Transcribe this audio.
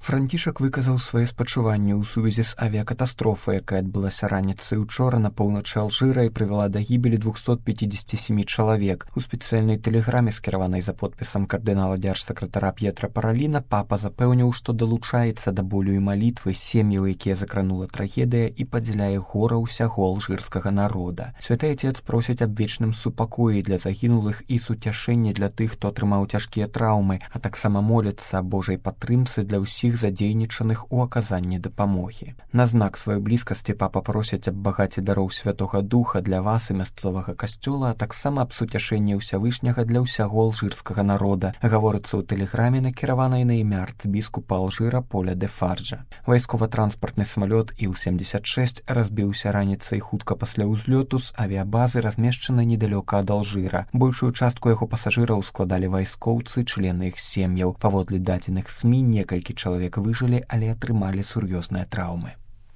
Францішак выказаў свае спачуванні ў сувязі з авіякатастрофай, якая адбылася раніцай учора на поўначы Алжыра і прывяла да гібелі 257 чалавек. У спецыяльнай тэлеграме, скіраванай за подпісам кардынала дзяржсакратара П'етра Параліна, папа запэўніў, што далучаецца да болю і малітвы сем'яў, якія закранула трагедыя, і падзяляе гора ўсяго алжырскага народа. Святы Отец просіць аб вечным супакоі для загінулых і суцяшэння для тых, хто атрымаў цяжкія траўмы, а таксама моліцца аб Божай падтрымцы для ўсіх задзейнічаных у аказанні дапамогі. На знак сваёй блізкасці папа просіць аб багаце дароў Святога Духа для вас і мясцовага касцёла, а таксама аб суцяшэнні Ўсявышняга для ўсяго алжырскага народа, гаворыцца ў тэлеграме, накіраванай на імя арцбіскупа Алжыра Поля де Фарджа. Вайскова-транспартны самалёт Іл-76 разбіўся раніцай хутка пасля ўзлёту з авіябазы, размешчанай недалёка ад Алжыра. Большую частку яго пасажыраў складалі вайскоўцы, члены іх сем'яў. Паводле дадзеных СМІ, некалькі чалавек выжылі, але атрымалі сур'ёзныя траўмы.